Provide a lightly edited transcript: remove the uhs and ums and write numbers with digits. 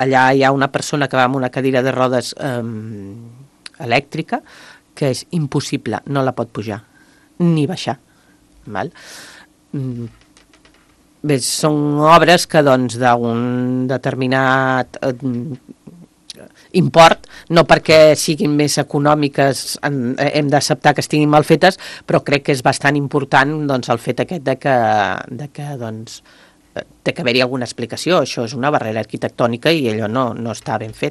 allà hi ha una persona que va amb una cadira de rodes elèctrica que és impossible, no la pot pujar ni baixar. Val? Bé, són obres que doncs d'un determinat import, no perquè siguin més econòmiques hem d'acceptar que estiguin mal fetes, però crec que és bastant important doncs, el fet aquest de que doncs, té que haver-hi alguna explicació. Això és una barrera arquitectònica i allò no està ben fet.